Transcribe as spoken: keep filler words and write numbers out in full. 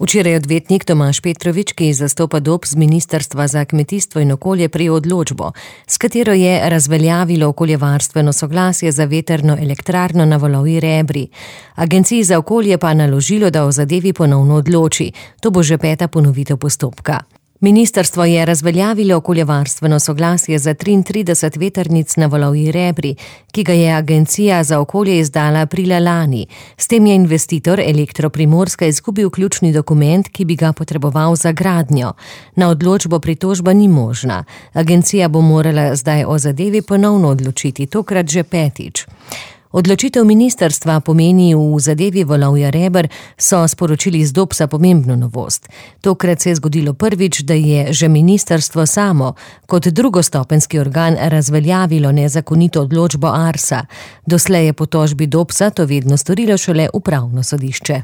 Včeraj odvetnik Tomaž Petrovič, ki zastopa D O P z Ministrstva za kmetijstvo in okolje, prejel odločbo, s katero je razveljavilo okoljevarstveno soglasje za vetrno elektrarno na Valovi Rebri. Agenciji za okolje pa naložilo, da o zadevi ponovno odloči. To bo že peta ponovitev postopka. Ministrstvo je razveljavilo okoljevarstveno soglasje za triintrideset vetrnic na Valovi Rebri, ki ga je Agencija za okolje izdala aprila lani. S tem je investitor Elektro Primorska izgubil ključni dokument, ki bi ga potreboval za gradnjo. Na odločbo pritožba ni možna. Agencija bo morala zdaj o zadevi ponovno odločiti, tokrat že petič. Odločitev ministrstva pomeni v zadevi Valovja Reber, so sporočili z D O P S-a pomembno novost. Tokrat se je zgodilo prvič, da je že ministrstvo samo kot drugostopenjski organ razveljavilo nezakonito odločbo Arsa. Doslej je po tožbi D O P S-a to vedno storilo šele upravno sodišče.